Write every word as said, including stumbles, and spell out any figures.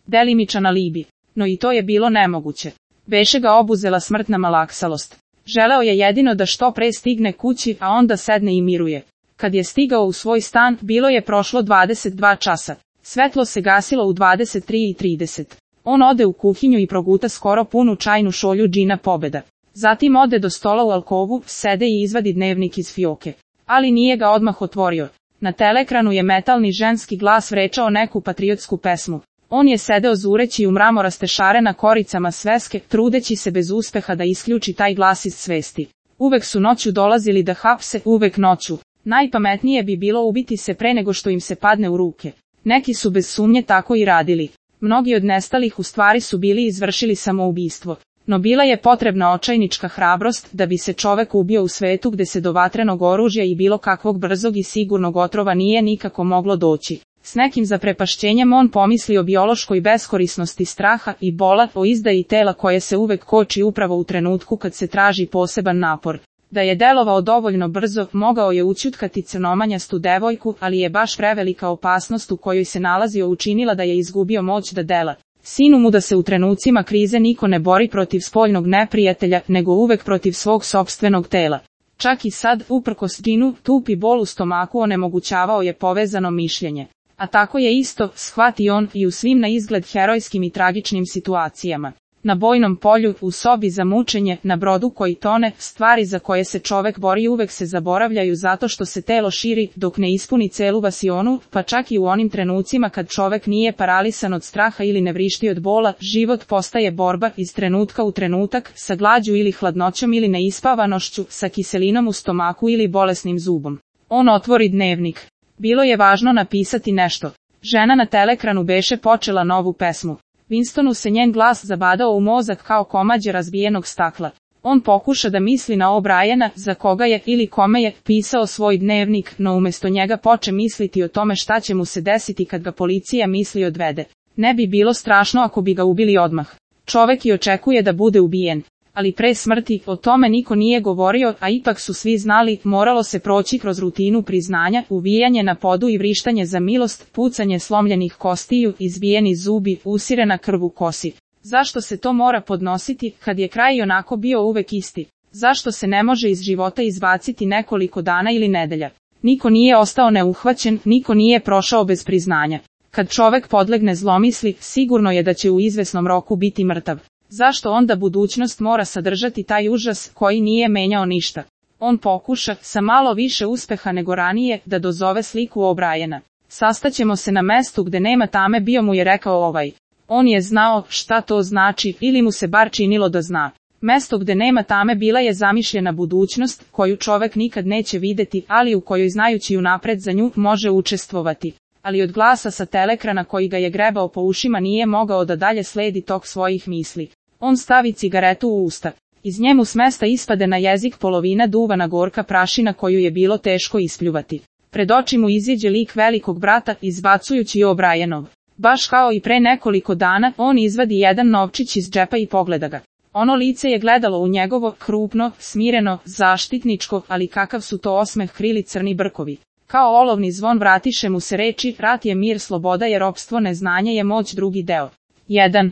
delimičan alibi. No i to je bilo nemoguće. Beše ga obuzela smrtna malaksalost. Želeo je jedino da što pre stigne kući, a onda sedne i miruje. Kad je stigao u svoj stan, bilo je prošlo dvadeset dva časa. Svetlo se gasilo u dvadeset tri i trideset. On ode u kuhinju i proguta skoro punu čajnu šolju džina Pobeda. Zatim ode do stola u alkovu, sede i izvadi dnevnik iz fioke. Ali nije ga odmah otvorio. Na teleekranu je metalni ženski glas vrečao neku patriotsku pesmu. On je sedeo zureći u mramoraste šare na koricama sveske, trudeći se bez uspeha da isključi taj glas iz svesti. Uvek su noću dolazili da hapse, uvek noću. Najpametnije bi bilo ubiti se pre nego što im se padne u ruke. Neki su bez sumnje tako i radili. Mnogi od nestalih u stvari su bili izvršili samoubistvo. No bila je potrebna očajnička hrabrost da bi se čovek ubio u svetu gde se do vatrenog oružja i bilo kakvog brzog i sigurnog otrova nije nikako moglo doći. S nekim zaprepašćenjem on pomisli o biološkoj beskorisnosti straha i bola, o izdaji tela koje se uvek koči upravo u trenutku kad se traži poseban napor. Da je delovao dovoljno brzo, mogao je ućutkati crnomanjastu devojku, ali je baš prevelika opasnost u kojoj se nalazio učinila da je izgubio moć da dela. Sinu mu da se u trenucima krize niko ne bori protiv spoljnog neprijatelja, nego uvek protiv svog sopstvenog tela. Čak i sad, uprkos džinu, tupi bol u stomaku onemogućavao je povezano mišljenje. A tako je isto, shvati on, i u svim na izgled herojskim i tragičnim situacijama. Na bojnom polju, u sobi za mučenje, na brodu koji tone, stvari za koje se čovek bori uvek se zaboravljaju zato što se telo širi, dok ne ispuni celu vasionu, pa čak i u onim trenucima kad čovek nije paralisan od straha ili ne vrišti od bola, život postaje borba iz trenutka u trenutak, sa glađu ili hladnoćom ili neispavanošću, sa kiselinom u stomaku ili bolesnim zubom. On otvori dnevnik. Bilo je važno napisati nešto. Žena na teleekranu beše počela novu pesmu. Winstonu se njen glas zabadao u mozak kao komađe razbijenog stakla. On pokuša da misli na O'Briena, za koga je ili kome je pisao svoj dnevnik, no umjesto njega poče misliti o tome šta će mu se desiti kad ga policija misli odvede. Ne bi bilo strašno ako bi ga ubili odmah. Čovek i očekuje da bude ubijen. Ali pre smrti, o tome niko nije govorio, a ipak su svi znali, moralo se proći kroz rutinu priznanja, uvijanje na podu i vrištanje za milost, pucanje slomljenih kostiju, izbijeni zubi, usirena krv u kosi. Zašto se to mora podnositi, kad je kraj onako bio uvek isti? Zašto se ne može iz života izbaciti nekoliko dana ili nedelja? Niko nije ostao neuhvaćen, niko nije prošao bez priznanja. Kad čovek podlegne zlomisli, sigurno je da će u izvesnom roku biti mrtav. Zašto onda budućnost mora sadržati taj užas koji nije menjao ništa? On pokuša, sa malo više uspeha nego ranije, da dozove sliku O'Briena. Sastaćemo se na mestu gde nema tame, bio mu je rekao ovaj. On je znao šta to znači, ili mu se bar činilo da zna. Mesto gde nema tame bila je zamišljena budućnost, koju čovek nikad neće videti, ali u kojoj znajući unapred za nju može učestvovati. Ali od glasa sa teleekrana koji ga je grebao po ušima nije mogao da dalje sledi tok svojih misli. On stavi cigaretu u usta. Iz njemu s mesta ispade na jezik polovina duvana gorka prašina koju je bilo teško ispljuvati. Pred oči mu iziđe lik velikog brata, izbacujući O'Brienov. Baš kao i pre nekoliko dana, on izvadi jedan novčić iz džepa i pogleda ga. Ono lice je gledalo u njegovo, krupno, smireno, zaštitničko, ali kakav su to osmeh krili crni brkovi. Kao olovni zvon vratiše mu se reči, rat je mir, sloboda je ropstvo, neznanje je moć, drugi deo. jedan.